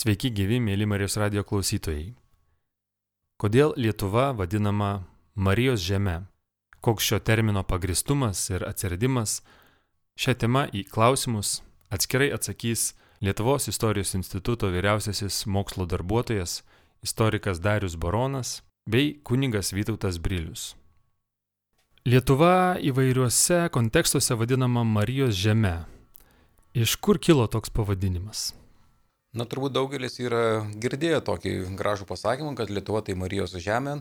Sveiki gyvi, mėly Marijos radijo klausytojai. Kodėl Lietuva vadinama Marijos žeme? Koks šio termino pagristumas ir atsiradimas? Šią temą į klausimus atskirai atsakys Lietuvos istorijos instituto vyriausiasis mokslo darbuotojas, istorikas Darius Baronas bei kunigas Vytautas Brilius. Lietuva įvairiuose kontekstuose vadinama Marijos žeme. Iš kur kilo toks pavadinimas? Turbūt daugelis yra girdėję tokį gražų pasakymą, kad Lietuva tai Marijos žemė.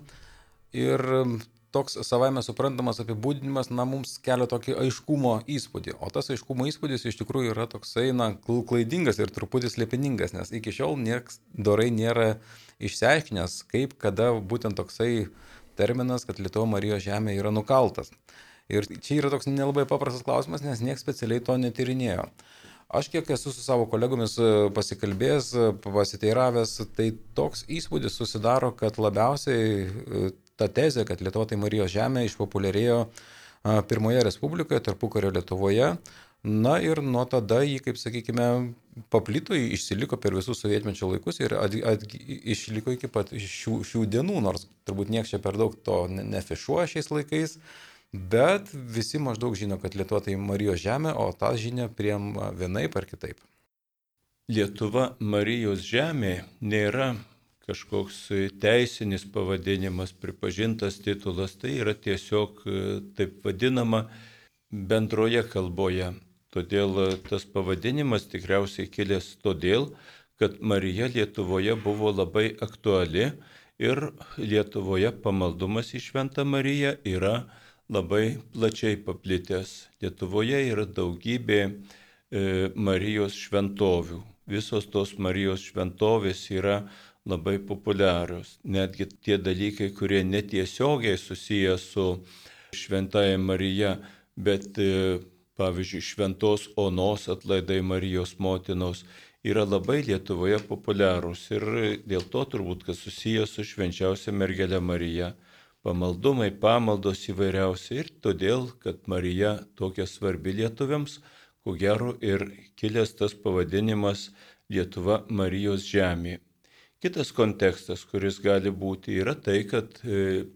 Ir toks savaime suprantamas apibūdinimas, mums kelia tokį aiškumo įspūdį. O tas aiškumo įspūdis iš tikrųjų yra toksai, klaidingas ir truputį slėpiningas, nes iki šiol niekas dorai nėra išsiaiškinęs, kaip, kada būtent toksai terminas, kad Lietuva Marijos žemė yra nukaltas. Ir čia yra toks nelabai paprastas klausimas, nes niekas specialiai to netyrinėjo. Aš kiek esu su savo kolegomis pasikalbėjęs, pasiteiravęs, tai toks įspūdis susidaro, kad labiausiai ta tezė, kad Lietuva tai Marijos žemė, išpopuliarėjo pirmoje Respublikoje, tarpukario Lietuvoje. Ir nuo tada jį, kaip sakykime, paplito, išsiliko per visus sovietmečio laikus ir išliko iki pat šių dienų, nors turbūt niekas čia per daug to nefišuoja šiais laikais. Bet visi maždaug žino, kad Lietuva tai Marijos žemė, o tą žinią priima vienaip ar kitaip. Lietuva Marijos žemė nėra kažkoks teisinis pavadinimas, pripažintas titulas, tai yra tiesiog taip vadinama bendroje kalboje. Todėl tas pavadinimas tikriausiai kilęs todėl, kad Marija Lietuvoje buvo labai aktuali ir Lietuvoje pamaldumas į Šventą Mariją yra labai plačiai paplitęs. Lietuvoje yra daugybė Marijos šventovių. Visos tos Marijos šventovės yra labai populiarios. Netgi tie dalykai, kurie netiesiogiai susiję su Šventaja Marija, bet pavyzdžiui Šventos Onos atlaidai Marijos motinos yra labai Lietuvoje populiarūs. Ir dėl to turbūt, kad susiję su švenčiausia mergele Marija. Pamaldumai, pamaldos įvairiausi ir todėl, kad Marija tokia svarbi lietuviams, ko gero ir kilęs tas pavadinimas Lietuva Marijos žemė. Kitas kontekstas, kuris gali būti, yra tai, kad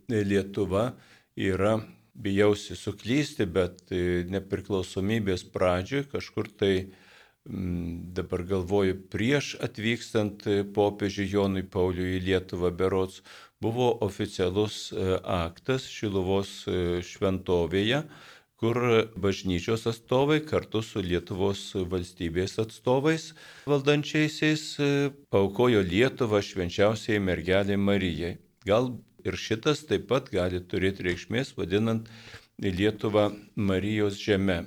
Lietuva yra, bijausi suklysti, bet nepriklausomybės pradžioje kažkur tai dabar galvoju, prieš atvykstant popiežiui Jonui Pauliui į Lietuvą berods, buvo oficialus aktas Šiluvos šventovėje, kur bažnyčios atstovai kartu su Lietuvos valstybės atstovais valdančiaisiais paaukojo Lietuvą švenčiausiai mergelei Marijai. Gal ir šitas taip pat gali turėti reikšmės, vadinant Lietuvą Marijos žeme.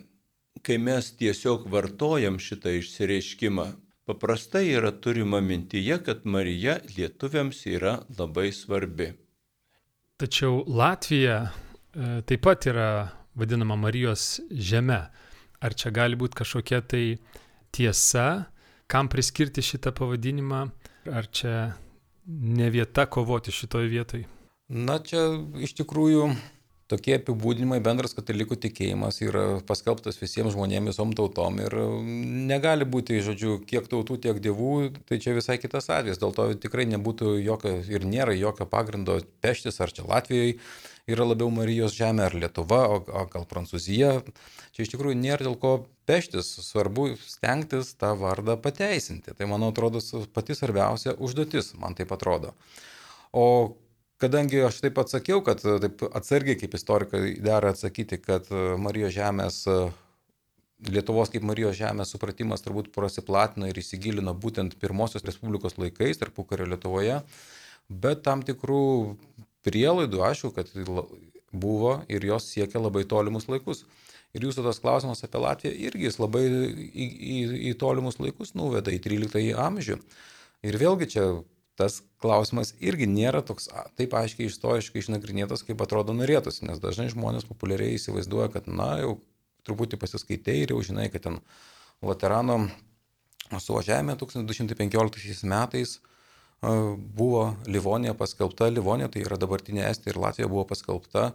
Kai mes tiesiog vartojam šitą išsireiškimą, paprastai yra turima mintyje, kad Marija lietuviams yra labai svarbi. Tačiau Latvija taip pat yra vadinama Marijos žeme. Ar čia gali būti kažkokia tai tiesa, kam priskirti šitą pavadinimą, ar čia ne vieta kovoti šitoj vietoj? Čia iš tikrųjų tokie apibūdinimai, bendras katalikų tikėjimas yra paskelbtas visiems žmonėms, visom tautom ir negali būti, kiek tautų, tiek dievų, tai čia visai kitas atvejis. Dėl to tikrai nebūtų jokio ir nėra jokio pagrindo peštis, ar čia Latvijoje yra labiau Marijos žemė, ar Lietuva, o gal Prancūzija. Čia iš tikrųjų nėra dėl ko peštis, svarbu stengtis tą vardą pateisinti. Tai, man atrodo, pati svarbiausia užduotis, man taip atrodo. O kadangi aš taip atsakiau, kad taip atsargiai kaip istorikai dera atsakyti, kad Marijos žemės, Lietuvos kaip Marijos žemės supratimas turbūt prasiplatino ir įsigilino būtent pirmosios Respublikos laikais, tarpukario Lietuvoje, bet tam tikrų prielaidų, aišku, kad buvo ir jos siekia labai tolimus laikus. Ir jūsų tas klausimas apie Latviją irgi jis labai į tolimus laikus nuveda, į 13 amžių. Ir vėlgi čia tas klausimas irgi nėra toks taip aiškiai istoriškai išnagrinėtas, kaip atrodo norėtųsi, nes dažnai žmonės populiariai įsivaizduoja, kad jau truputį pasiskaitai ir jau žinai, kad ten Laterano suvažiavime 1215 metais buvo Livonija paskelbta, Livonija tai yra dabartinė Estija ir Latvija buvo paskelbta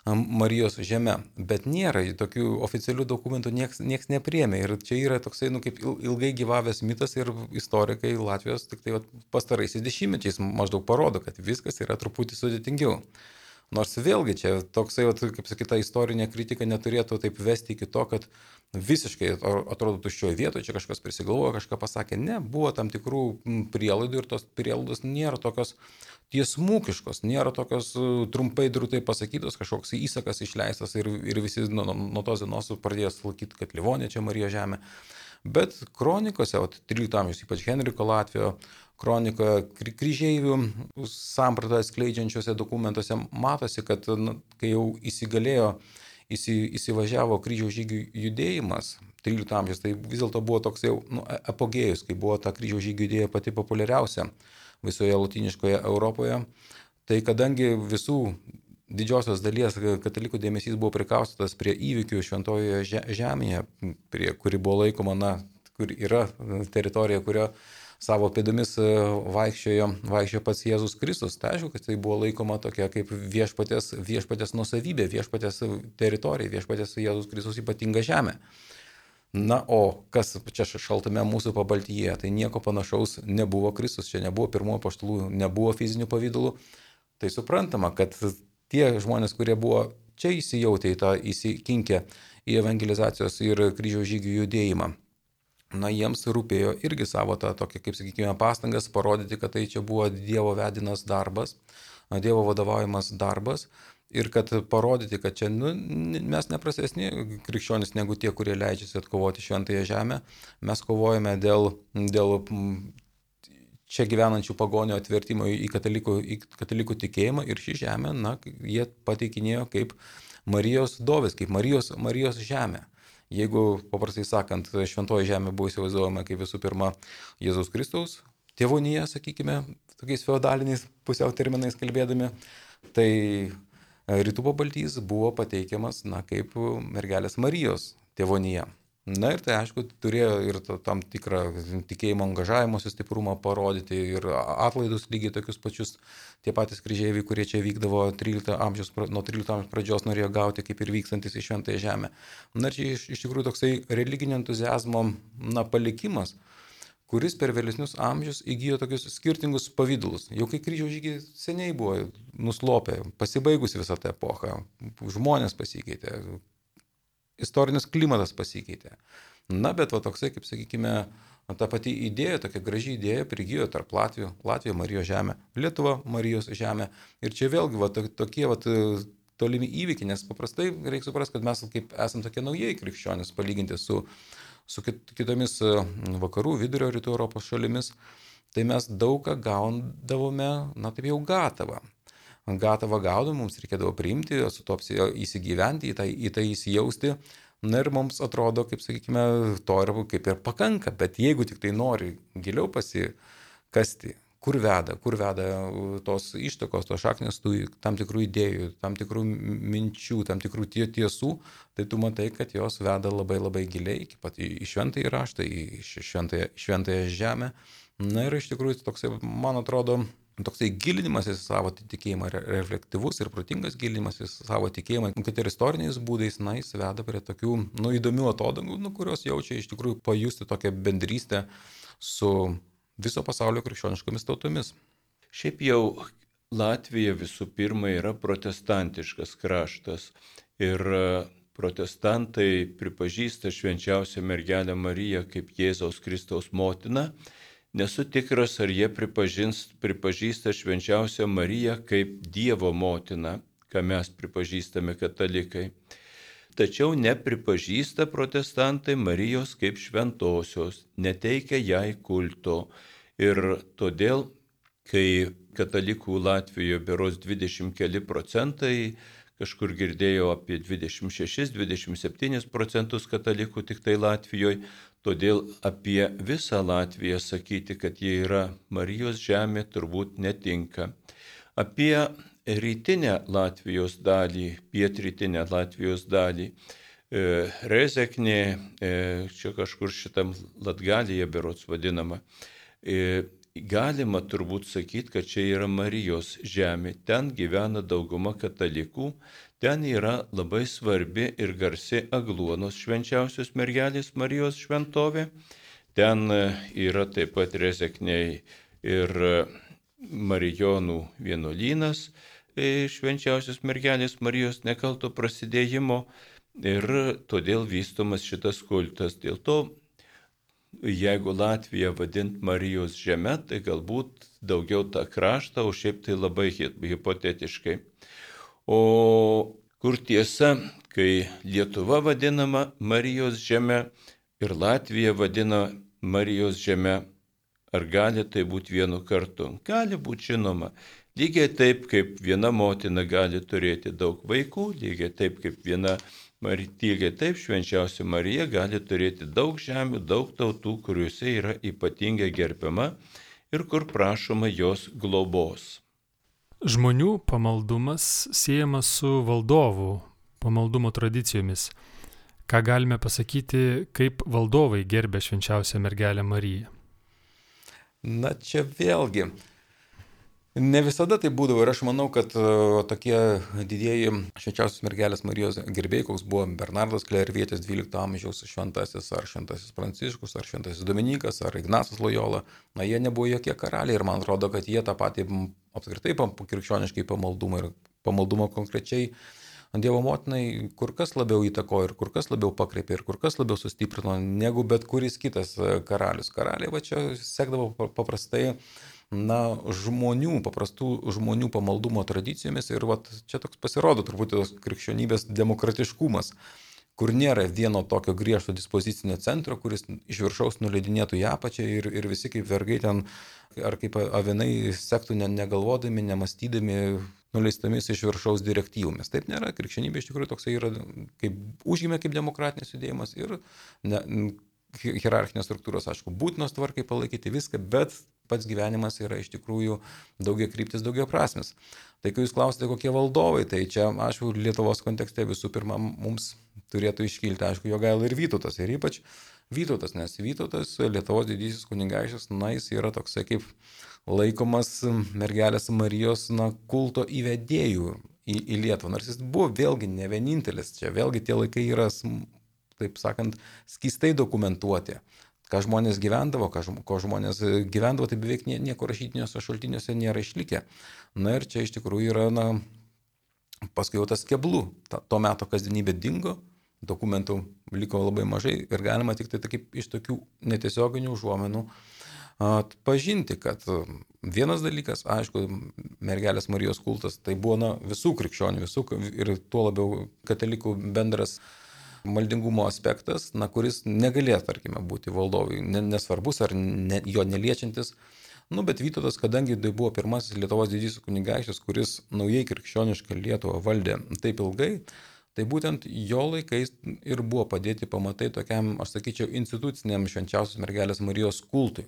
Marijos žeme, bet nėra tokių oficialių dokumentų, nieks nepriėmė. Ir čia yra toksai, kaip ilgai gyvavęs mitas ir istorikai Latvijos tik tai pastaraisiais dešimtmečiais maždaug parodo, kad viskas yra truputį sudėtingiau. Nors vėlgi čia toksai, kaip sakyta, istorinė kritika neturėtų taip vesti iki to, kad visiškai atrodo tuščioje vietoje, čia kažkas prisigalvojo, kažką pasakė. Ne, buvo tam tikrų prielaidų ir tos prielaidos nėra tokios tiesmukiškos, nėra tokios trumpai drūtai pasakytos, kažkoks įsakas išleistas ir visi nuo tos dienos pradėjo laikyti, kad Livonija čia Marijos žemė. Bet kronikose, 13 amžiaus, ypač Henriko Latvijo kronikoje, kryžeivių sampratą skleidžiančiuose dokumentuose matosi, kad kai jau įsivažiavo kryžiaus žygių judėjimas 13 amžiaus, tai vis dėlto buvo toks jau apogėjus, kai buvo ta kryžiaus žygių idėja pati populiariausia visoje lotyniškoje Europoje. Tai kadangi visų didžiosios dalies katalikų dėmesys buvo prikaustytas prie įvykių Šventojoje žemėje, kuri buvo laikoma, kur yra teritorija, kurio savo pėdomis vaikščiojo pats Jėzus Kristus. Tai aišku, kad tai buvo laikoma tokia kaip viešpatės nuosavybė, viešpatės teritorija, viešpatės Jėzus Kristus ypatinga žemė. Na, o kas čia šaltame mūsų pabaltyje, tai nieko panašaus nebuvo. Kristus čia nebuvo pirmojo apaštalų, nebuvo fizinių pavydalų. Tai suprantama, kad tie žmonės, kurie buvo čia įsijautę į tą įsikinkę į evangelizacijos ir kryžiaus žygių judėjimą, jiems rūpėjo irgi savo tą tokį, kaip sakykime, pastangas parodyti, kad tai čia buvo Dievo vedinas darbas, Dievo vadovaujamas darbas ir kad parodyti, kad čia mes neprastesni krikščionys negu tie, kurie leidžiasi atkovoti šventąją žemę. Mes kovojame dėl čia gyvenančių pagonių atvertimo į katalikų tikėjimą ir šį žemę, jie pateikinėjo kaip Marijos dovis, kaip Marijos žemė. Jeigu, paprastai sakant, šventoji žemė buvo įsivaizduojama kaip visų pirma Jėzaus Kristaus tėvonija, sakykime, tokiais feodaliniais pusiau terminais kalbėdami, tai rytų pabaltys buvo pateikiamas kaip mergelės Marijos tėvonija. Ir tai aišku turėjo ir tam tikrą tikėjimo angažavimosi stiprumą parodyti ir atlaidus lygiai tokius pačius. Tie patys kryžeiviai, kurie čia vykdavo nuo 13 amžiaus pradžios, norėjo gauti kaip ir vykstantis į šventąją žemę. Ir čia iš tikrųjų toksai religinio entuziazmo palikimas, kuris per vėlesnius amžius įgijo tokius skirtingus pavydalus. Jau kai kryžiaus žygiai seniai buvo nuslopę, pasibaigus visą tą epochą, žmonės pasikeitė, istorinis klimatas pasikeitė. Bet toksai, kaip sakykime, ta pati idėja, tokia graži idėja prigijo tarp Latvija Marijos žemė, Lietuva Marijos žemė. Ir čia vėlgi tokie tolimi įvykiai, nes paprastai reikia suprasti, kad mes kaip esame tokie naujieji krikščionys palyginti su kitomis vakarų, vidurio rytų Europos šalimis, tai mes daug ką gaudavome, taip jau gatavą. Gatavą gaudom, mums reikėdavo priimti, su to įsigyventi, į tai įsijausti. Ir mums atrodo, kaip sakykime, to ir kaip ir pakanka. Bet jeigu tik tai nori giliau pasikasti, kur veda tos ištakos, tos šaknės, tam tikrų idėjų, tam tikrų minčių, tam tikrų tiesų, tai tu matai, kad jos veda labai labai giliai, iki pat į šventąjį raštą, į šventąją žemę. Ir iš tikrųjų toksai, man atrodo, toksai gilinimas į savo tikėjimą, reflektyvus ir protingas gilinimas į savo tikėjimą, kad ir istoriniais būdais, jis veda prie tokių įdomių atodangų, kurios jaučia iš tikrųjų pajusti tokią bendrystę su viso pasaulio krikščioniškomis tautomis. Šiaip jau Latvija visų pirma yra protestantiškas kraštas ir protestantai pripažįsta švenčiausią mergelę Mariją kaip Jėzaus Kristaus motiną. Nesu tikras, ar jie pripažįsta švenčiausią Mariją kaip Dievo motiną, ką mes pripažįstame katalikai. Tačiau nepripažįsta protestantai Marijos kaip šventosios, neteikia jai kulto. Ir todėl, kai katalikų Latvijoje berods 20 keli procentai, kažkur girdėjau apie 26-27 procentus katalikų tik tai Latvijoje, todėl apie visą Latviją sakyti, kad jie yra Marijos žemė, turbūt netinka. Apie rytinę Latvijos dalį, pietrytinę Latvijos dalį, Rezeknė, čia kažkur šitam Latgalyje berods vadinama, galima turbūt sakyti, kad čia yra Marijos žemė. Ten gyvena dauguma katalikų, ten yra labai svarbi ir garsi Agluonos švenčiausios mergelės Marijos šventovė. Ten yra taip pat Rezekniai ir Marijonų vienuolynas švenčiausios mergelės Marijos nekalto prasidėjimo ir todėl vystomas šitas kultas. Dėl to, jeigu Latviją vadint Marijos žeme, tai galbūt daugiau tą kraštą, o šiaip tai labai hipotetiškai. O kur tiesa, kai Lietuva vadinama Marijos žeme ir Latvija vadina Marijos žeme, ar gali tai būti vienu kartu? Gali būti, žinoma. Lygiai taip, kaip viena motina gali turėti daug vaikų, lygiai taip, švenčiausia Marija gali turėti daug žemių, daug tautų, kuriuose yra ypatingai gerbiama ir kur prašoma jos globos. Žmonių pamaldumas siejamas su valdovų pamaldumo tradicijomis. Ką galime pasakyti, kaip valdovai gerbė švenčiausią mergelę Mariją? Na čia vėlgi, ne visada tai būdavo ir aš manau, kad tokie didieji švenčiausios mergelės Marijos gerbėjai, koks buvo Bernardas Klervietis 12 amžiaus šventasis, ar šventasis Pranciškus, ar šventasis Dominikas, ar Ignacas Lojola, na jie nebuvo jokie karaliai ir man atrodo, kad jie tą patį apskritai krikščioniškai pamaldumą konkrečiai Dievo motinai kur kas labiau įtakojo ir kur kas labiau pakreipė ir kur kas labiau sustiprino negu bet kuris kitas karalius. Karaliai va čia sekdavo paprastai paprastų žmonių pamaldumo tradicijomis ir va čia toks pasirodo turbūt tos krikščionybės demokratiškumas, kur nėra vieno tokio griežto dispozicinio centro, kuris iš viršaus nuleidinėtų į apačią ir visi kaip vergai ten ar kaip avinai sektų negalvodami, nemastydami, nuleistomis iš viršaus direktyvomis. Taip nėra, krikščionybė iš tikrųjų toksai yra, užgimė kaip demokratinis judėjimas ir hierarchinės struktūros, aišku, būtinos tvarkai palaikyti viską, bet pats gyvenimas yra iš tikrųjų daugiakryptis, daugiaprasmis. Tai kai jūs klausite, kokie valdovai, tai čia, aišku, Lietuvos kontekste visų pirma mums turėtų iškilti, aišku, Jogaila ir Vytautas, ir ypač Vytautas, nes Vytautas, Lietuvos didysis kunigaikštis, jis yra toksai kaip laikomas mergelės Marijos kulto įvedėjų į Lietuvą, nors jis buvo vėlgi ne vienintelis, čia vėlgi tie laikai yra, taip sakant, skystai dokumentuoti. Ką žmonės gyvendavo, ko žmonės gyvendavo, tai beveik nieko rašytiniuose šaltiniuose nėra išlikę. Na ir čia iš tikrųjų yra, paskui jau tas keblų. To meto kasdienybė dingo, dokumentų liko labai mažai ir galima tik tai kaip iš tokių netiesioginių užuomenų atpažinti, kad vienas dalykas, aišku, mergelės Marijos kultas, tai buvo visų krikščionių, ir tuo labiau katalikų bendras maldingumo aspektas, kuris negalėjo, tarkime, būti valdovui, nesvarbus ar jo neliečiantis. Bet Vytautas, kadangi tai buvo pirmasis Lietuvos didysis kunigaikštis, kuris naujai krikščionišką Lietuvą valdė taip ilgai, tai būtent jo laikais ir buvo padėti pamatai tokiam, aš sakyčiau, instituciniam švenčiausios mergelės Marijos kultui.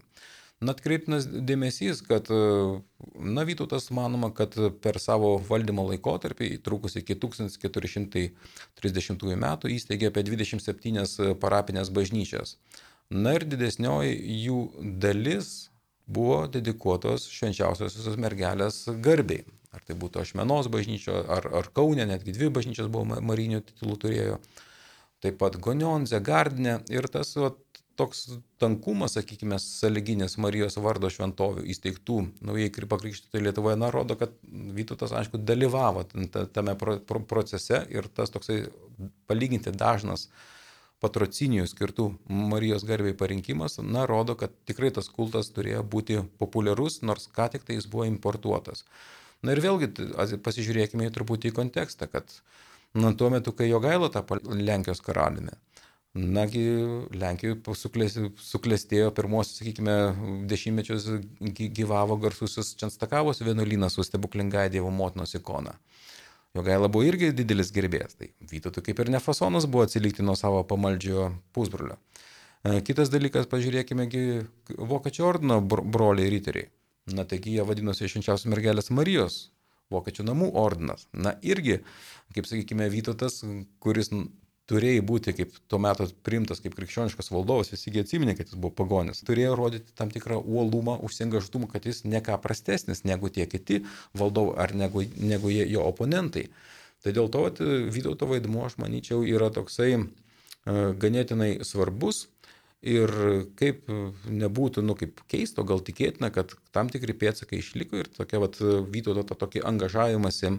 Atkreiptinas dėmesys, kad Vytautas manoma, kad per savo valdymo laikotarpį, trukus iki 1430 metų, įsteigė apie 27 parapinės bažnyčias. Ir didesnioji jų dalis buvo dedikuotos švenčiausiosios mergelės garbei. Ar tai būtų Ašmenos bažnyčio, ar Kaune, netgi 2 bažnyčios buvo marinių titulų turėjo. Taip pat Gonionze, Gardine ir tas toks tankumas, sakykime, sąlyginis Marijos vardo šventovių įsteigtų naujai pakrikštytoje Lietuvoje, rodo, kad Vytautas, aišku, dalyvavo tame procese ir tas toksai palyginti dažnas patrocinijų skirtų Marijos garbei parinkimas, rodo, kad tikrai tas kultas turėjo būti populiarus, nors ką tik tai jis buvo importuotas. Ir vėlgi pasižiūrėkime truputį į kontekstą, kad tuo metu, kai Jogaila tapo Lenkijos karaliumi, Lenkijoje suklestėjo pirmosius, sakykime, dešimtmečius gyvavo garsusis Čenstakavos vienuolynas su stebuklingai Dievo motinos ikona. Jogaila buvo irgi didelis gerbėjas, tai Vytautui kaip ir ne fasonas buvo atsilikti nuo savo pamaldžio pusbrolio. Kitas dalykas, pažiūrėkime, Vokiečių ordino broliai riteriai. Taigi jie vadinosi švenčiausios mergelės Marijos Vokiečių namų ordinas. Irgi, kaip sakykime, Vytautas, kuris turėjo būti kaip tuo metu priimtas kaip krikščioniškas valdovas, visi atsiminė, kad jis buvo pagonis, turėjo rodyti tam tikrą uolumą, užsiengažtumą, kad jis ne ką prastesnis negu tie kiti valdovai ar negu jo oponentai. Tai dėl to Vytauto vaidmuo, aš manyčiau, yra toksai ganėtinai svarbus. Ir kaip nebūtų, kaip keisto, gal tikėtina, kad tam tikri pėdsakai išliko ir tokia Vytauto tokį angažavimąsi,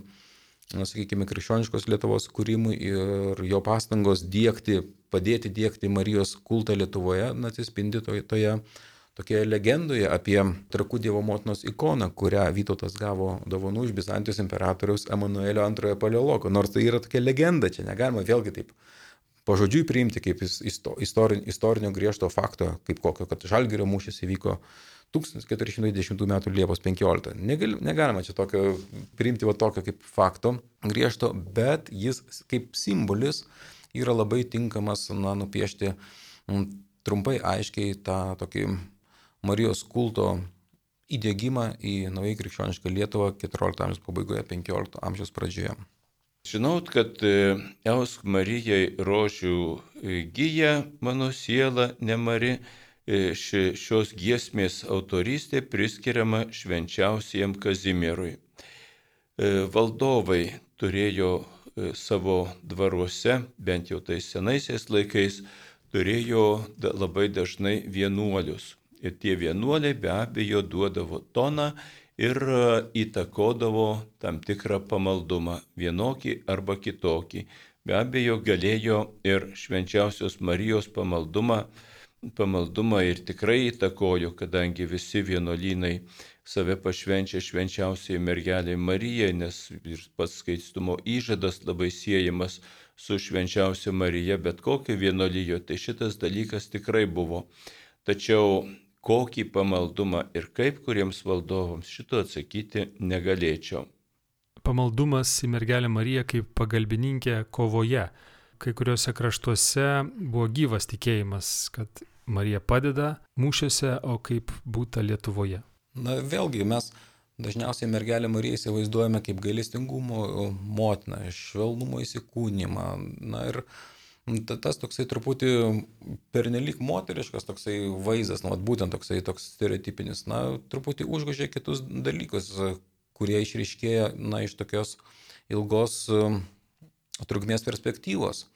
sakykime, krikščioniškos Lietuvos kūrimui ir jo pastangos padėti diegti Marijos kultą Lietuvoje, atsispindi toje tokioje legendoje apie Trakų Dievo motinos ikoną, kurią Vytautas gavo dovanų iš Bizantijos imperatoriaus Emanuelio II Paleologo. Nors tai yra tokia legenda, čia negalima vėlgi taip pažodžiui priimti kaip istorinio griežto fakto, kaip kokio, kad Žalgirio mūšis įvyko 1410 m. Liepos 15. Negalima čia tokio priimti tokio kaip fakto griežto, bet jis kaip simbolis yra labai tinkamas nupiešti trumpai aiškiai tą tokį Marijos kulto įdiegimą į naujai krikščionišką Lietuvą 14 amžiaus pabaigoje, 15 amžiaus pradžioje. Žinot, kad Eusk Marijai rožių gyja mano siela nemari, šios giesmės autorystė priskiriama švenčiausiajam Kazimierui. Valdovai turėjo savo dvaruose, bent jau tais senaisiais laikais, turėjo labai dažnai vienuolius. Ir tie vienuoliai be abejo duodavo toną ir įtakodavo tam tikrą pamaldumą, vienokį arba kitokį. Be abejo galėjo ir švenčiausios Marijos pamaldumą ir tikrai įtakojo, kadangi visi vienuolynai save pašvenčia švenčiausiai mergelei Marijai, nes ir pats skaistumo įžadas labai siejamas su švenčiausia Marija, bet kokio vienuolijo, tai šitas dalykas tikrai buvo. Tačiau kokį pamaldumą ir kaip kuriems valdovams šito atsakyti negalėčiau. Pamaldumas į mergelę Mariją kaip pagalbininkę kovoje. Kai kuriuose kraštuose buvo gyvas tikėjimas, kad Marija padeda mūšiuose, o kaip būta Lietuvoje. Vėlgi mes dažniausiai mergelę Mariją įsivaizduojame kaip gailestingumo motiną, švelnumo įsikūnymą. Ir tas toksai truputį pernelyg moteriškas toksai vaizdas, būtent toks stereotipinis, truputį užgožia kitus dalykus, kurie išryškėja iš tokios ilgos trukmės perspektyvos.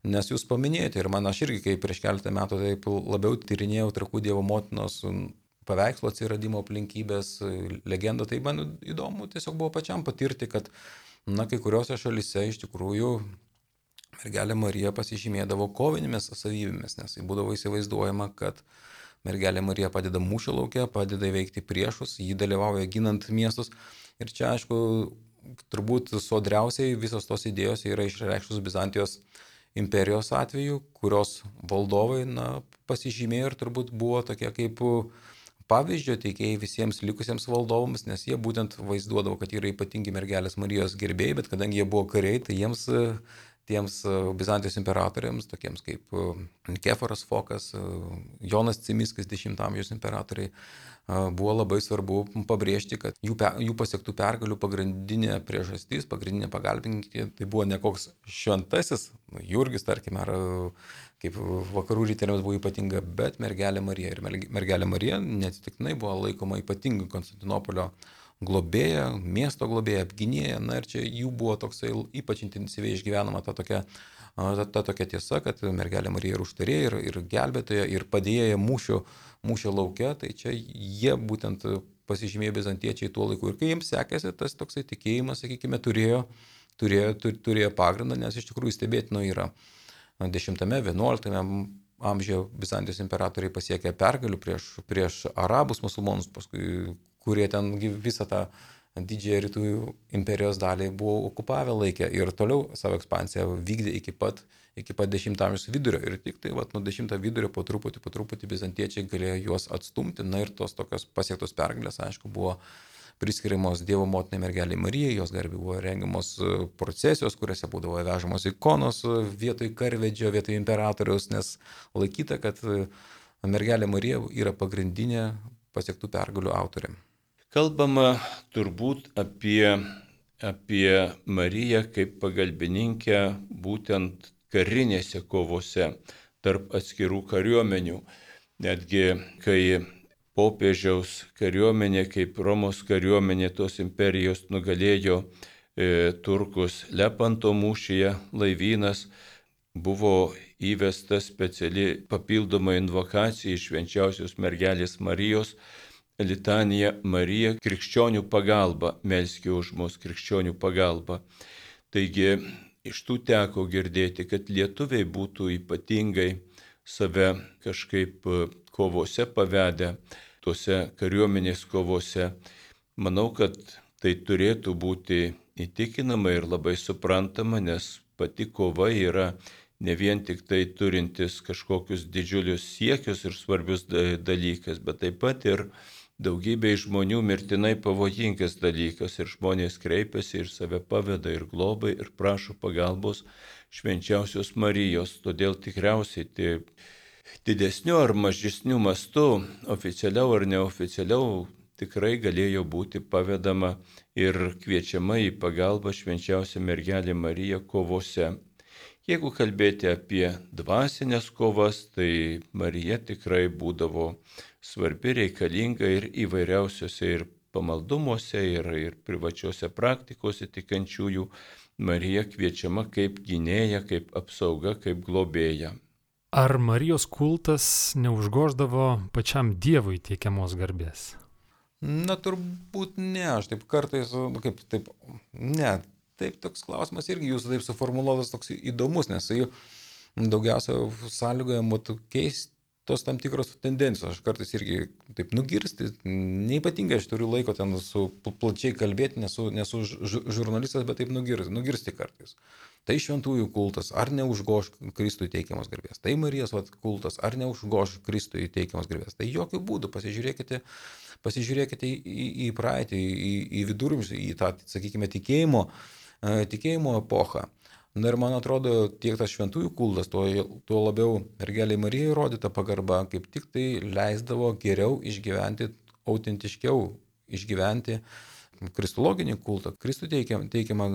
Nes jūs paminėjote ir aš irgi, kai prieš keletą metų taip labiau tyrinėjau Trakų Dievo motinos paveikslo atsiradimo aplinkybės, legendą, tai man įdomu tiesiog buvo pačiam patirti, kad kai kuriuose šalyse iš tikrųjų mergelė Marija pasižymėdavo kovinėmis savybėmis, nes tai būdavo įsivaizduojama, kad mergelė Marija padeda mūšio lauke, padeda įveikti priešus, ji dalyvauja ginant miestus. Ir čia, aišku, turbūt sodriausiai visos tos idėjos yra išreikštos Bizantijos imperijos atveju, kurios valdovai pasižymėjo ir turbūt buvo tokie kaip pavyzdžio teikėjai visiems likusiems valdovams, nes jie būtent vaizduodavo, kad yra ypatingi mergelės Marijos gerbėjai, bet kadangi jie buvo kariai, tai tiems Bizantijos imperatoriams, tokiems kaip Nikeforas Fokas, Jonas Cimiskas, 10 amžiaus imperatoriai, buvo labai svarbu pabrėžti, kad jų pasiektų pergalių pagrindinė priežastis, pagrindinė pagalbininkė, tai buvo ne koks šventasis, Jurgis, tarkime, ar kaip vakarų rytėliams buvo ypatinga, bet mergelė Marija. Ir mergelė Marija neatsitiktinai buvo laikoma ypatingai Konstantinopolio globėja, miesto globėja, apgynėja, ir čia jų buvo toksai ypač intensyviai išgyvenama ta tokia tiesa, kad mergelė Marija ir užtarėja, ir gelbėtoja, ir padėjėja mūšio lauke, tai čia jie būtent pasižymėjo bizantiečiai tuo laiku. Ir kai jiems sekėsi, tas toksai tikėjimas, sakykime, turėjo pagrindą, nes iš tikrųjų stebėtino yra 10-11 amžiuje Bizantijos imperatoriai pasiekė pergalių prieš arabus musulmonus, paskui kurie ten visą tą didžiąją rytų imperijos dalį buvo okupavę laikę ir toliau savo ekspansiją vykdė iki pat 10 amžiaus vidurio. Ir tik tai nuo 10 vidurio po truputį bizantiečiai galėjo juos atstumti. Ir tos tokios pasiektos pergalės, aišku, buvo priskiriamos Dievo motinai mergelei Marijai, jos garbei buvo rengiamos procesijos, kuriuose būdavo vežamos ikonos vietoj karvedžio, vietoj imperatoriaus, nes laikyta, kad mergelė Marija yra pagrindinė pasiektų pergalių autorė. Kalbama turbūt apie Mariją kaip pagalbininkę būtent karinėse kovose tarp atskirų kariuomenių. Netgi kai popiežiaus kariuomenė, kaip Romos kariuomenė tos imperijos nugalėjo Turkus Lepanto mūšyje laivynas, buvo įvesta speciali papildoma invokacija iš švenčiausios mergelės Marijos, litanija Marija krikščionių pagalba, melskė už mus krikščionių pagalba. Taigi iš tų teko girdėti, kad lietuviai būtų ypatingai save kažkaip kovose pavedę, tuose kariuomenės kovose. Manau, kad tai turėtų būti įtikinama ir labai suprantama, nes pati kova yra ne vien tik tai turintis kažkokius didžiulius siekius ir svarbius dalykas, bet taip pat ir daugybė žmonių mirtinai pavojingas dalykas ir žmonės kreipiasi ir save paveda ir globai ir prašo pagalbos švenčiausios Marijos. Todėl tikriausiai didesniu ar mažesniu mastu, oficialiau ar neoficialiau, tikrai galėjo būti pavedama ir kviečiama į pagalbą švenčiausia mergelė Marija kovose. Jeigu kalbėti apie dvasinės kovas, tai Marija tikrai būdavo svarbi, reikalinga ir įvairiausiose ir pamaldumuose, ir privačiose praktikose tikinčiųjų. Marija kviečiama kaip gynėja, kaip apsauga, kaip globėja. Ar Marijos kultas neužgoždavo pačiam Dievui teikiamos garbės? Na, turbūt ne, aš taip kartais, Taip, toks klausimas irgi jūsų taip suformuluotas toks įdomus, nes jis daugiausia sąlygoja keistos tam tikros tendencijos. Aš kartais irgi taip nugirsti, neypatingai aš turiu laiko ten plačiai kalbėti, nesu žurnalistas, bet taip nugirsti kartais. Tai šventųjų kultas, ar neužgoš Kristui teikiamos garbės. Tai Marijos kultas, ar neužgoš Kristui teikiamos garbės. Tai jokių būdų, pasižiūrėkite į praeitį, į viduramžius, į tą, sakykime, tikėjimo epochą. Na ir man atrodo, tiek tas šventųjų kultas, tuo labiau mergelei Marijai rodyta pagarba, kaip tik tai leisdavo geriau išgyventi, autentiškiau išgyventi kristologinį kultą, Kristų teikiamą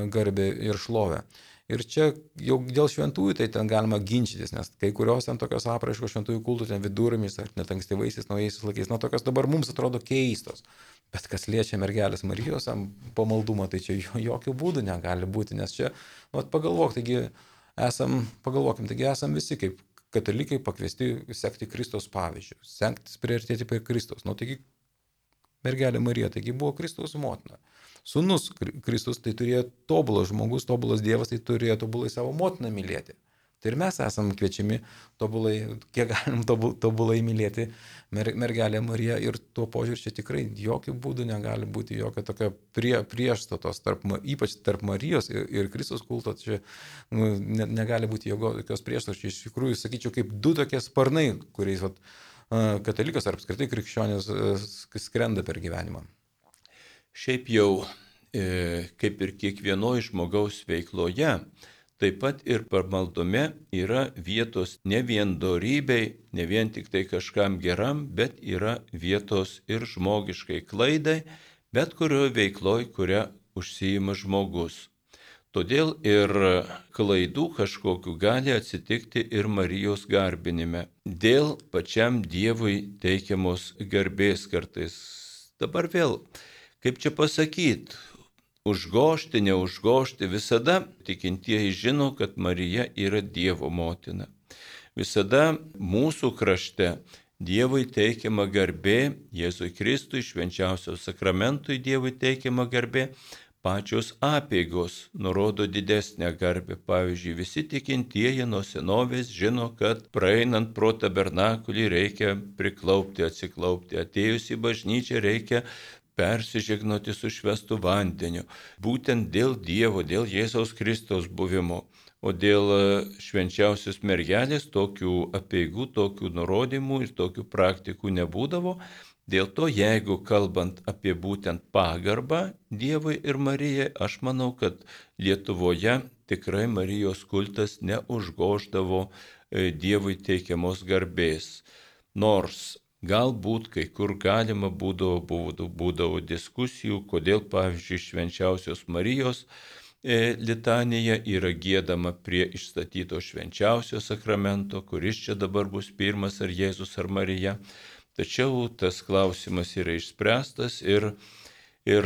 garbę ir šlovę. Ir čia jau dėl šventųjų tai ten galima ginčytis, nes kai kurios ten tokios apraiškos šventųjų kultų, ten vidurmis ar net ankstyvaisiais, naujaisiais laikais, tokios dabar mums atrodo keistos. Bet kas liečia mergelės Marijos pamaldumą, tai čia jokių būdų negali būti, nes čia, taigi esam visi kaip katalikai pakviesti sekti Kristaus pavyzdžių, sektis priartėti prie Kristaus. Taigi mergelė Marija, taigi buvo Kristaus motina. Sūnus Kristus tai turėjo tobulas žmogus, tobulas Dievas, tai turėjo tobulai savo motiną mylėti. Tai ir mes esam kviečiami kiek galim tobulai mylėti mergelę Mariją ir tuo požiūriu čia tikrai jokių būdų negali būti jokio tokio priešstatos, ypač tarp Marijos ir Kristaus kulto, čia negali būti jokios priešstatos. Iš tikrųjų, sakyčiau, kaip du tokie sparnai, kuriais katalikas ar apskritai krikščionis skrenda per gyvenimą. Šiaip jau, kaip ir kiekvienoje žmogaus veikloje, taip pat ir pamaldume yra vietos ne vien dorybei, ne vien tik tai kažkam geram, bet yra vietos ir žmogiškai klaidai, bet kurioje veikloje, kurią užsiima žmogus. Todėl ir klaidų kažkokių gali atsitikti ir Marijos garbinime. Dėl pačiam Dievui teikiamos garbės kartais. Dabar vėl, kaip čia pasakyti, užgožti, neužgožti, visada tikintieji žino, kad Marija yra Dievo motina. Visada mūsų krašte Dievui teikiama garbė, Jėzui Kristui, švenčiausio sakramentui Dievui teikiama garbė, pačios apeigos nurodo didesnę garbę. Pavyzdžiui, visi tikintieji nuo senovės žino, kad praeinant pro tabernakulį reikia priklaupti, atsiklaupti, atėjus į bažnyčią reikia persižegnoti su švęstu vandeniu. Būtent dėl Dievo, dėl Jėzaus Kristaus buvimo. O dėl švenčiausios mergelės tokių apeigų, tokių nurodymų ir tokių praktikų nebūdavo. Dėl to, jeigu kalbant apie būtent pagarbą Dievui ir Marijai, aš manau, kad Lietuvoje tikrai Marijos kultas neužgoždavo Dievui teikiamos garbės. Nors galbūt kai kur galima būdavo diskusijų, kodėl, pavyzdžiui, švenčiausios Marijos litanija yra giedama prie išstatyto švenčiausio sakramento, kuris čia dabar bus pirmas, ar Jėzus ar Marija. Tačiau tas klausimas yra išspręstas ir Ir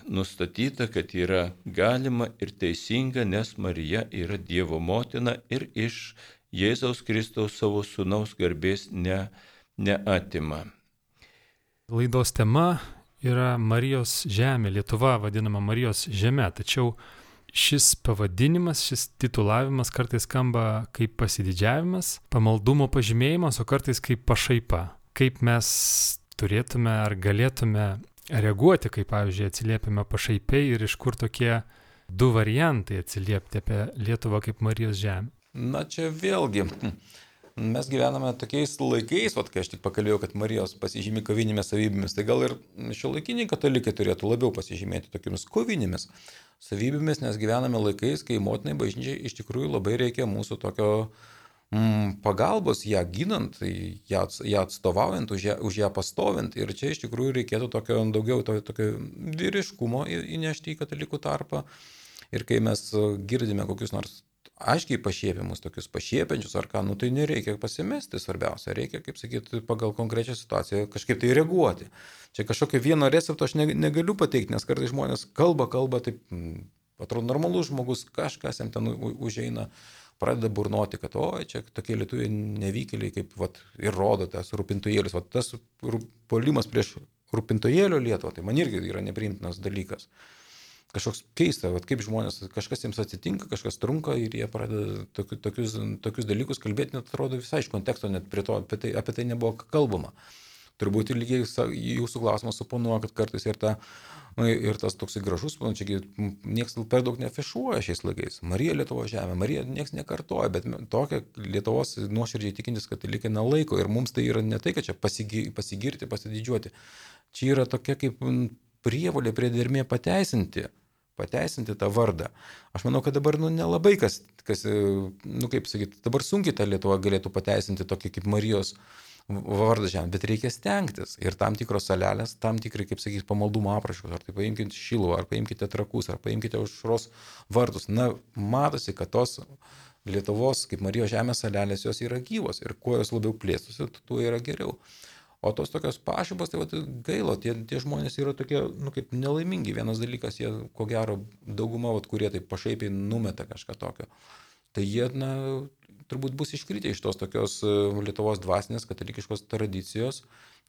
nustatyta, kad yra galima ir teisinga, nes Marija yra Dievo motina ir iš Jėzaus Kristaus savo sūnaus garbės neatima. Laidos tema yra Marijos žemė, Lietuva vadinama Marijos žemė, tačiau šis pavadinimas, šis titulavimas kartais skamba kaip pasididžiavimas, pamaldumo pažymėjimas, o kartais kaip pašaipa. Kaip mes turėtume ar galėtume reaguoti, kaip pavyzdžiui atsiliepiame pašaipiai ir iš kur tokie du variantai atsiliepti apie Lietuvą kaip Marijos žemę. Na čia vėlgi, mes gyvename tokiais laikais, kai aš tik pakalbėjau, kad Marijos pasižymi kovinėmis savybėmis, tai gal ir šiuolaikiniai katalikai turėtų labiau pasižymėti tokiamis kovinėmis savybėmis, nes gyvename laikais, kai motinai bažnyčiai iš tikrųjų labai reikia mūsų tokio pagalbos ją ginant, ją atstovaujant, už ją pastovint. Ir čia iš tikrųjų reikėtų daugiau tokio vyriškumo įnešti į katalikų tarpą. Ir kai mes girdime kokius nors aiškiai pašiepimus, tokius pašiepiančius ar ką, tai nereikia pasimesti, svarbiausia, reikia, kaip sakyti, pagal konkrečią situaciją kažkaip tai reaguoti. Čia kažkokio vieno recepto aš negaliu pateikti, nes kartais žmonės kalba, taip, atrodo normalus žmogus, kažkas jam ten užeina, pradeda burnoti, kad čia tokie lietuviai nevykėliai, kaip ir rodo tas rūpintojėlis. Tas puolimas prieš rūpintojėlio Lietuvą, tai man irgi yra nepriimtinas dalykas. Kažkoks keista, kaip žmonės, kažkas jiems atsitinka, kažkas trunka ir jie pradeda tokius dalykus kalbėti, net atrodo visai iš konteksto, net apie tai nebuvo kalbama. Turbūt ir lygiai jūsų klausimas suponuoja, kad kartais ir tas toksai gražus, čia niekas per daug neafišuoja šiais laikais. Marija Lietuvos žemė, Marija niekas nekartoja, bet tokia Lietuvos nuoširdžiai tikintis katalikai nelaiko. Ir mums tai yra ne tai, kad čia pasigirti, pasididžiuoti. Čia yra tokia kaip prievolė priedermė pateisinti tą vardą. Aš manau, kad dabar nelabai kas kaip sakyti, dabar sunkiai ta Lietuva galėtų pateisinti tokį kaip Marijos vardą žemė, bet reikia stengtis. Ir tam tikros salelės, tam tikrai, kaip sakyti, pamaldumo apraškos, ar tai paimkite Šiluvą, ar paimkite Trakus, ar paimkite Aušros vartus. Matosi, kad tos Lietuvos kaip Marijos žemės salelės jos yra gyvos ir kuo jos labiau plėstusi, tuo yra geriau. O tos tokios pašybos, tai gaila, tie žmonės yra tokie, kaip nelaimingi. Vienas dalykas, jie, ko gero, dauguma, kurie taip pašaipiai numeta kažką tokio. Tai jie, turbūt bus iškritę iš tos tokios Lietuvos dvasinės katalikiškos tradicijos,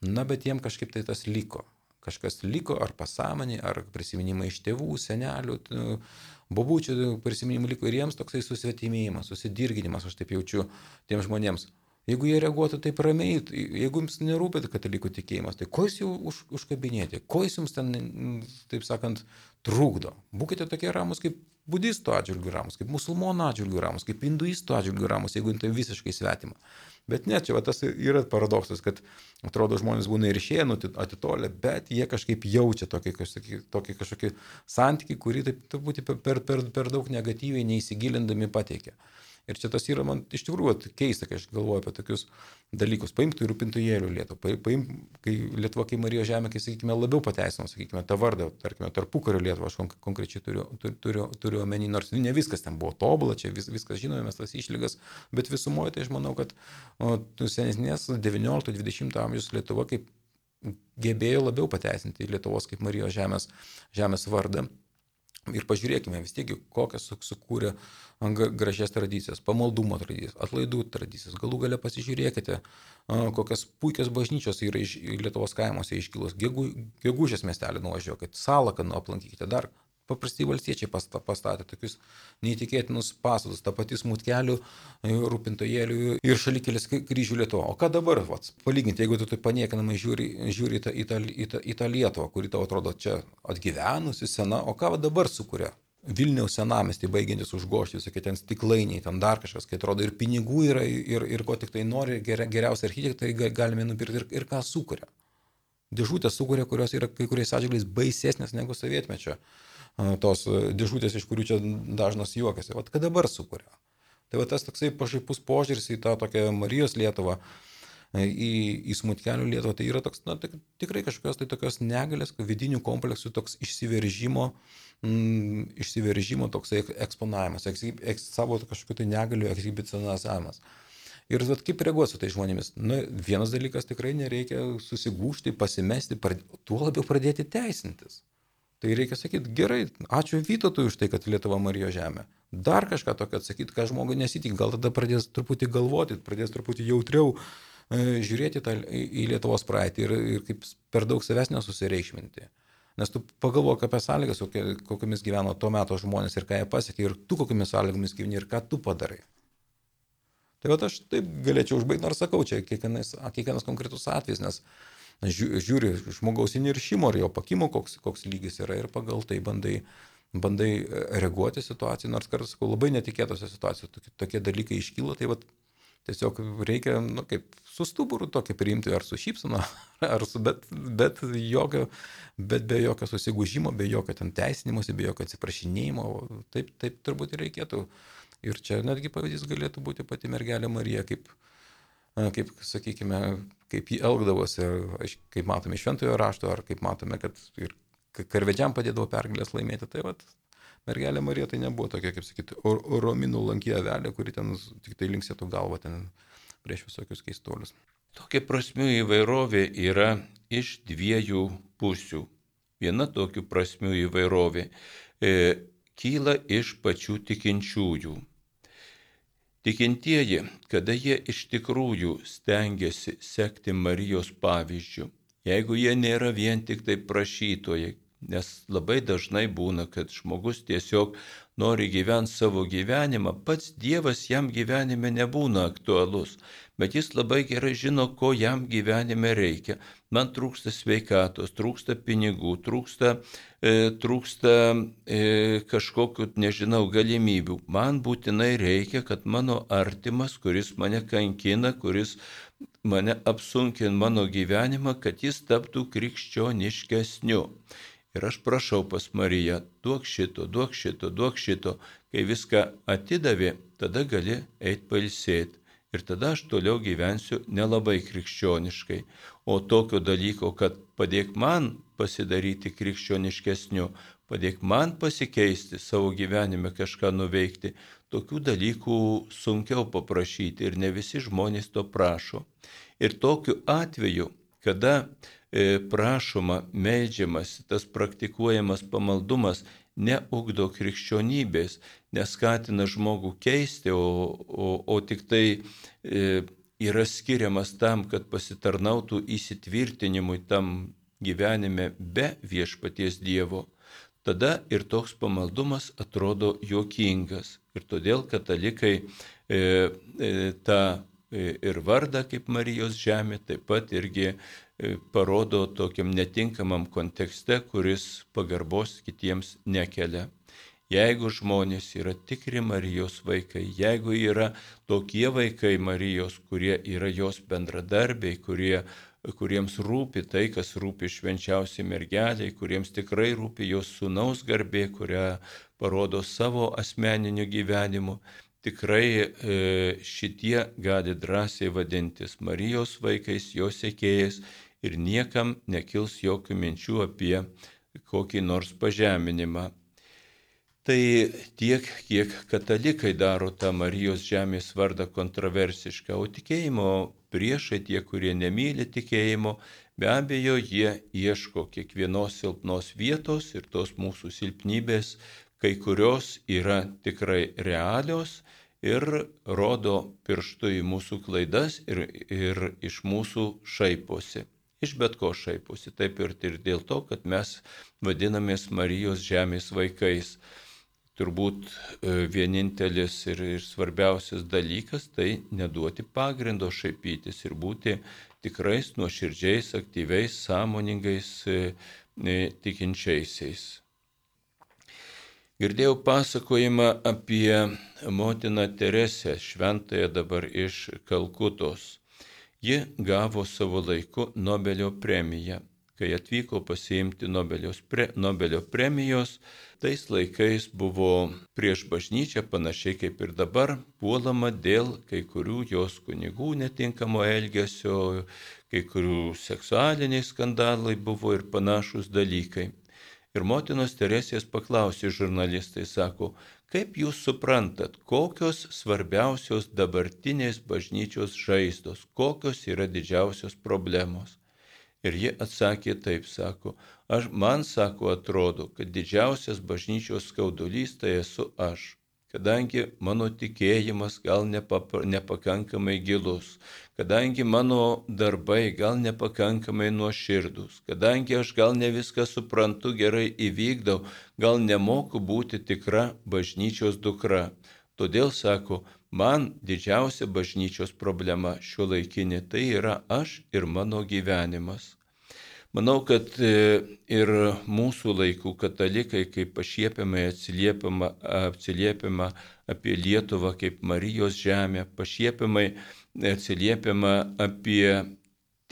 bet jiem kažkaip tai tas liko. Kažkas liko, ar pasąmonė, ar prisiminimai iš tėvų, senelių, bobučių prisiminimai liko ir jiems toksai susvetimėjimas, susidirginimas, aš taip jaučiu tiems žmonėms. Jeigu jie reaguotų taip ramiai, jeigu jums nerūpėt katalikų tikėjimas, tai ko jūs jau užkabinėti, ko jūs jums ten, taip sakant, trukdo. Būkite tokie ramus kaip budistų atžvilgių ramus, kaip musulmonų atžvilgių ramus, kaip hinduistų atžvilgių ramus, jeigu tai visiškai svetima. Bet ne, čia tas yra paradoksas, kad atrodo žmonės būna ir išėję, atitolę, bet jie kažkaip jaučia tokį kažkokį santykį, kurį taip turbūt per daug negatyviai neįsigilindami pateikia. Ir čia tas yra man iš tikrųjų keista, kai aš galvoju apie tokius dalykus. Paimtų ir rūpintojėlių Lietuvą. Kai Lietuva, kai Marijos žemė, kai, sakykime, labiau pateisino, sakykime, tą vardą, tarkime, tarpukario Lietuvą, aš konkrečiai turiu omeny, nors ne viskas ten buvo tobula, čia viskas žinome, mes tas išlygas, bet visumoje tai aš manau, kad senesnės 19-20 amžiaus Lietuva kaip gebėjo labiau pateisinti Lietuvos kaip Marijos žemės vardą. Ir pažiūrėkime vis tiek, kokias sukūrė gražias tradicijas, pamaldumo tradicijas, atlaidų tradicijas. Galų gale pasižiūrėkite, kokias puikias bažnyčios yra iš Lietuvos kaimuose iškilus. Gegužės miestelį nuvažiuokite, Salaką aplankykite, dar paprastai valstiečiai pastatė tokius neįtikėtinus pastatus, tą patį Smutkelių, rūpintojėlių ir Šalikelis kryžių Lietuvą. O ką dabar, palyginti, jeigu tu paniekinamai žiūri į tą Lietuvą, kuri tau atrodo čia atgyvenusi, sena, o ką dabar sukuria? Vilniaus senamiestį baigiantis užgožti, visokie ten stiklainiai, ten dar kažkas, kai atrodo ir pinigų yra, ir ko tik tai nori, geriausi architektai galime nupirkti ir ką sukuria. Dėžutės sukuria, kurios yra kai kuriais atžvilgiais baisesnės negu sovietmečio. Tos dėžutės, iš kurių čia dažnas juokiasi. Ką dabar sukuria? Tai tas toksai pašaipus požiūris į tą tokią Marijos Lietuvą, į Smutkelių Lietuvą, tai yra toks, tikrai kažkokios tai tokios negalės, vidinių kompleksų, toks išsiveržimo toksai eksponavimas, savo kažkokių tai negalių ekshibicionavimas. Ir kaip reaguoti su tai žmonėmis? Vienas dalykas, tikrai nereikia susigūžti, pasimesti, tuo labiau pradėti teisintis. Tai reikia sakyti, gerai, ačiū Vytautui už tai, kad Lietuva Marijos žemė. Dar kažką tokio atsakyti, ką žmogui nesitik, gal tada pradės truputį galvoti, pradės truputį jautriau žiūrėti į Lietuvos praeitį ir kaip per daug savęs nesusireikšminti. Nes tu pagalvok apie sąlygas, kokiamis gyveno tuo metu žmonės ir ką jie pasiekė, ir tu kokiamis sąlygomis gyveni ir ką tu padarai. Tai va aš taip galėčiau užbaigti, nors sakau, čia kiekvienas konkretus atvejis, nes žiūri žmogaus įniršimo ar jo pakimo, koks lygis yra ir pagal tai bandai reaguoti situaciją, nors kartais, sakau, labai netikėtose situacijose tokie dalykai iškyla, tai vat tiesiog reikia, kaip su stuburu tokį priimti, ar su šypsena, bet be jokio susigūžimo, be jokio ten teisinimuose, be jokio atsiprašinėjimo, taip turbūt ir reikėtų. Ir čia netgi pavyzdys galėtų būti pati mergelė Marija, kaip sakykime, kaip jį elgdavosi, kaip matome iš Šventojo rašto, ar kaip matome, kad ir karvedžiam padėdavo pergalės laimėti. Tai vat, mergelė Marija tai nebuvo tokia, kaip sakyti, rominų lankė avelė, kuri ten tik tai linksėtų galvą ten prieš visokius keistuolius. Tokia prasmių įvairovė yra iš dviejų pusių. Viena tokių prasmių įvairovė kyla iš pačių tikinčiųjų. Tikintieji, kada jie iš tikrųjų stengiasi sekti Marijos pavyzdžiu, jeigu jie nėra vien tik tai prašytojai, nes labai dažnai būna, kad žmogus tiesiog nori gyventi savo gyvenimą, pats Dievas jam gyvenime nebūna aktualus, bet jis labai gerai žino, ko jam gyvenime reikia. Man trūksta sveikatos, trūksta pinigų, trūksta kažkokių, galimybių. Man būtinai reikia, kad mano artimas, kuris mane kankina, kuris mane apsunkina mano gyvenimą, kad jis taptų krikščioniškesniu. Ir aš prašau pas Mariją, duok šito. Kai viską atidavė, tada gali eiti pailsėti. Ir tada aš toliau gyvensiu nelabai krikščioniškai. O tokio dalyko, kad padėk man pasidaryti krikščioniškesniu, padėk man pasikeisti savo gyvenime, kažką nuveikti, tokių dalykų sunkiau paprašyti ir ne visi žmonės to prašo. Ir tokiu atveju, kada prašoma, meldžiamas, tas praktikuojamas pamaldumas neugdo krikščionybės, neskatina žmogų keisti, o tik tai yra skiriamas tam, kad pasitarnautų įsitvirtinimui tam gyvenime be viešpaties Dievo, tada ir toks pamaldumas atrodo juokingas. Ir todėl katalikai tą ir vardą kaip Marijos žemė taip pat irgi parodo tokiam netinkamam kontekste, kuris pagarbos kitiems nekelia. Jeigu žmonės yra tikri Marijos vaikai, jeigu yra tokie vaikai Marijos, kurie yra jos bendradarbiai, kuriems rūpi tai, kas rūpi švenčiausiai mergeliai, kuriems tikrai rūpi jos sūnaus garbė, kurią parodo savo asmeniniu gyvenimu, tikrai šitie gali drąsiai vadintis Marijos vaikais, jos sekėjais ir niekam nekils jokių minčių apie kokį nors pažeminimą. Tai tiek, kiek katalikai daro tą Marijos žemės vardą kontroversišką, o tikėjimo priešai, tie, kurie nemyli tikėjimo, be abejo, jie ieško kiekvienos silpnos vietos ir tos mūsų silpnybės, kai kurios yra tikrai realios ir rodo pirštu į mūsų klaidas ir iš mūsų šaiposi. Iš bet ko šaiposi, taip ir dėl to, kad mes vadinamės Marijos žemės vaikais. Turbūt vienintelis ir svarbiausias dalykas tai neduoti pagrindo šaipytis ir būti tikrais, nuoširdžiais, aktyviais, sąmoningais tikinčiaisiais. Girdėjau pasakojimą apie motiną Teresę, šventąją dabar iš Kalkutos. Ji gavo savo laiku Nobelio premiją. Kai atvyko pasiimti Nobelio premijos, tais laikais buvo prieš bažnyčią, panašiai kaip ir dabar, puolama dėl kai kurių jos kunigų netinkamo elgesio, kai kurių seksualiniai skandalai buvo ir panašus dalykai. Ir motinos Teresės paklausė žurnalistai, sako, kaip jūs suprantat, kokios svarbiausios dabartinės bažnyčios žaizdos, kokios yra didžiausios problemos? Ir ji atsakė taip, sako, Man sako, atrodo, kad didžiausias bažnyčios skaudulys tai esu aš. Kadangi mano tikėjimas gal nepakankamai gilus, kadangi mano darbai gal nepakankamai nuoširdus, kadangi aš gal ne viską suprantu, gerai įvykdau, gal nemoku būti tikra bažnyčios dukra. Todėl, sako, man didžiausia bažnyčios problema šiuolaikinė tai yra aš ir mano gyvenimas. Manau, kad ir mūsų laikų katalikai, kaip pašiepiamai atsiliepiama apie Lietuvą kaip Marijos žemę, pašiepiamai atsiliepiama apie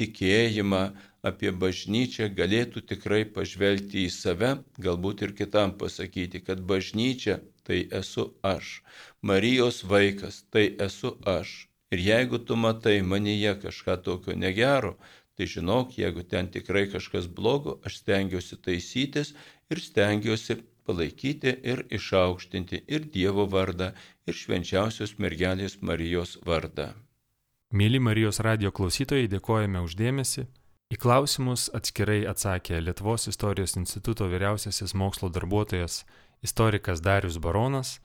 tikėjimą, apie bažnyčią, galėtų tikrai pažvelgti į save, galbūt ir kitam pasakyti, kad bažnyčia tai esu aš, Marijos vaikas tai esu aš. Ir jeigu tu matai manyje kažką tokio negero, tai žinok, jeigu ten tikrai kažkas blogo, aš stengiuosi taisytis ir stengiuosi palaikyti ir išaukštinti ir Dievo vardą, ir švenčiausios mergelės Marijos vardą. Mėly Marijos radijo klausytojai, dėkojame už dėmesį. Į klausimus atskirai atsakė Lietuvos istorijos instituto vyriausiasis mokslo darbuotojas, istorikas Darius Baronas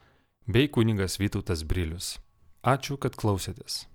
bei kunigas Vytautas Brilius. Ačiū, kad klausėtės.